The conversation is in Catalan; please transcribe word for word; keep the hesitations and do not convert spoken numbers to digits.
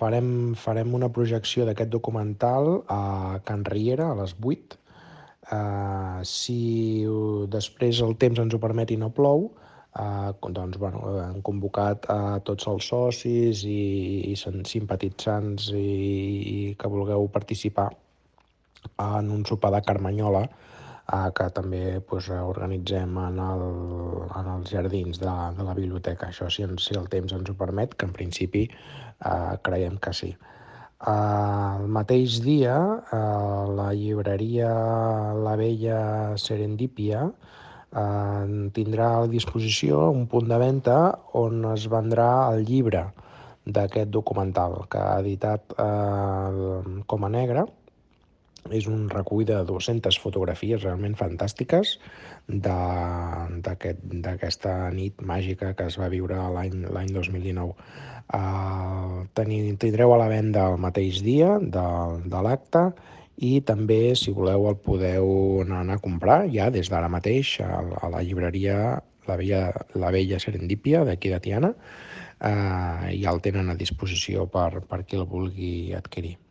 farem, farem una projecció d'aquest documental a Can Riera a les vuit. Uh, si uh, després el temps ens ho permet i no plou, uh, doncs, bueno, hem convocat a tots els socis i, i simpatitzants i, i que vulgueu participar en un sopar de Carmanyola eh, que també pues, organitzem en, el, en els jardins de, de la biblioteca. Això si, si el temps ens ho permet, que en principi eh, creiem que sí. Uh, el mateix dia, uh, la llibreria La Vella Serendípia uh, tindrà a disposició un punt de venda on es vendrà el llibre d'aquest documental que ha editat uh, Coma Negra. És un recull de dues-centes fotografies realment fantàstiques d'aquesta aquest, nit màgica que es va viure l'any dos mil dinou. Uh, tindreu a la venda el mateix dia de, de l'acte i també, si voleu, el podeu anar a comprar ja des d'ara mateix a, a la llibreria La Vella, la Vella Serendípia d'aquí de Tiana. Uh, ja el tenen a disposició per, per qui el vulgui adquirir.